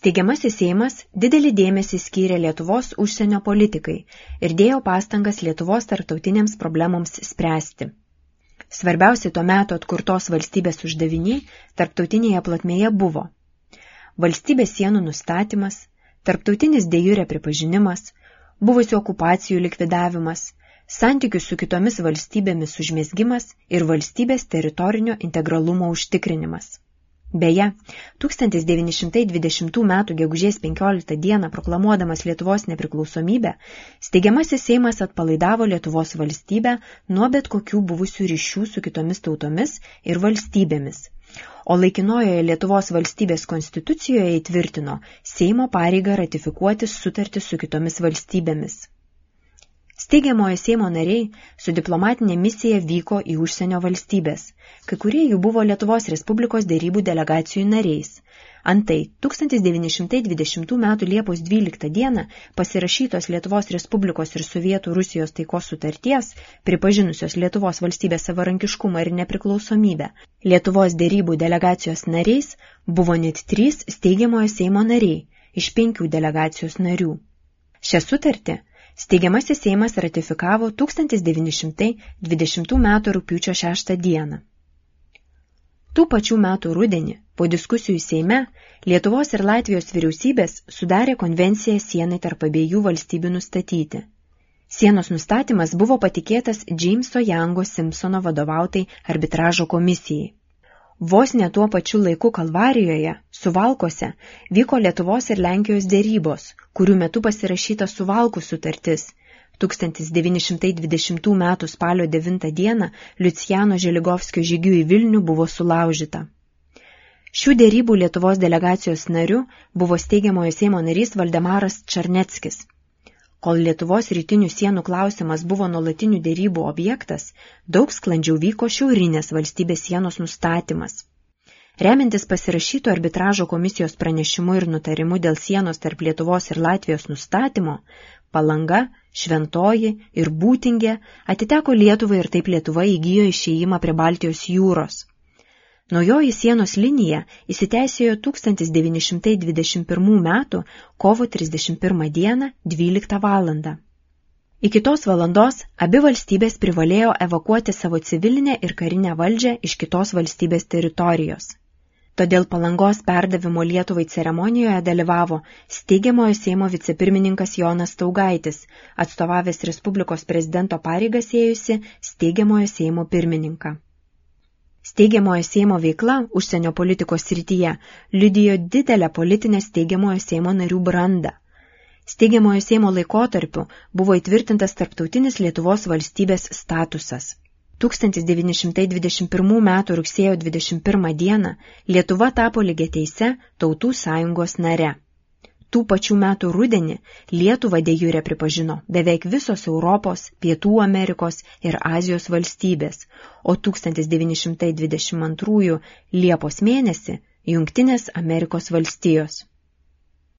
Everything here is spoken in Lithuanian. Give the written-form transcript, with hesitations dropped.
Steigiamasis Seimas didelį dėmesį skyrė Lietuvos užsienio politikai ir dėjo pastangas Lietuvos tarptautinėms problemoms spręsti. Svarbiausi tuo metu atkurtos valstybės uždaviniai tarptautinėje plotmėje buvo valstybės sienų nustatymas, tarptautinis de jure pripažinimas, buvusių okupacijų likvidavimas, santykių su kitomis valstybėmis užmezgimas ir valstybės teritorinio integralumo užtikrinimas. Beje, 1920 m. gegužės 15 d. proklamuodamas Lietuvos nepriklausomybę, Steigiamasis Seimas atpalaidavo Lietuvos valstybę nuo bet kokių buvusių ryšių su kitomis tautomis ir valstybėmis, o laikinojoje Lietuvos valstybės konstitucijoje įtvirtino Seimo pareigą ratifikuoti sutartį su kitomis valstybėmis. Steigiamojo Seimo nariai su diplomatinė misija vyko į užsienio valstybės, kai kurie jų buvo Lietuvos Respublikos derybų delegacijų nariais. Antai 1920 m. Liepos 12 d. pasirašytos Lietuvos Respublikos ir Sovietų Rusijos taikos sutarties, pripažinusios Lietuvos valstybės savarankiškumą ir nepriklausomybę, Lietuvos derybų delegacijos nariais buvo net 3 Steigiamojo Seimo nariai iš 5 delegacijos narių. Šią sutartį Steigiamasis Seimas ratifikavo 1920 m. rugpjūčio 6 d. Tų pačių metų rudenį, po diskusijų Seime, Lietuvos ir Latvijos vyriausybės sudarė konvenciją sienai tarp abiejų valstybių nustatyti. Sienos nustatymas buvo patikėtas Jameso Youngo Simpsono vadovautai arbitražo komisijai. Vos ne tuo pačiu laiku Kalvarijoje, Suvalkuose, vyko Lietuvos ir Lenkijos derybos, kurių metu pasirašyta Suvalkų sutartis. 1920 m. spalio 9 d. Liucijano Želigovskio žygiu į Vilnių buvo sulaužyta. Šių derybų Lietuvos delegacijos nariu buvo Steigiamojo Seimo narys Valdemaras Čarneckis. Kol Lietuvos rytinių sienų klausimas buvo nuolatinių derybų objektas, daug sklandžiau vyko šiaurinės valstybės sienos nustatymas. Remiantis pasirašyto arbitražo komisijos pranešimu ir nutarimu dėl sienos tarp Lietuvos ir Latvijos nustatymo, Palanga, Šventoji ir Būtingė atiteko Lietuvai ir taip Lietuva įgijo išėjimą prie Baltijos jūros. Naujoji sienos linija įsiteisėjo 1921 m. kovo 31 d. 12 val. Iki tos valandos abi valstybės privalėjo evakuoti savo civilinę ir karinę valdžią iš kitos valstybės teritorijos. Todėl Palangos perdavimo Lietuvai ceremonijoje dalyvavo Steigiamojo Seimo vicepirmininkas Jonas Staugaitis, atstovavęs Respublikos prezidento pareigas ėjusi Steigiamojo Seimo pirmininką. Steigiamojo Seimo veikla užsienio politikos srityje liudijo didelę politinę Steigiamojo Seimo narių brandą. Steigiamojo Seimo laikotarpiu buvo įtvirtintas tarptautinis Lietuvos valstybės statusas. 1921 m. rugsėjo 21 d. Lietuva tapo lygiateise Tautų sąjungos nare. Tų pačių metų rudenį Lietuvą de jure pripažino beveik visos Europos, Pietų Amerikos ir Azijos valstybės, o 1922 Liepos mėnesį Jungtinės Amerikos valstijos.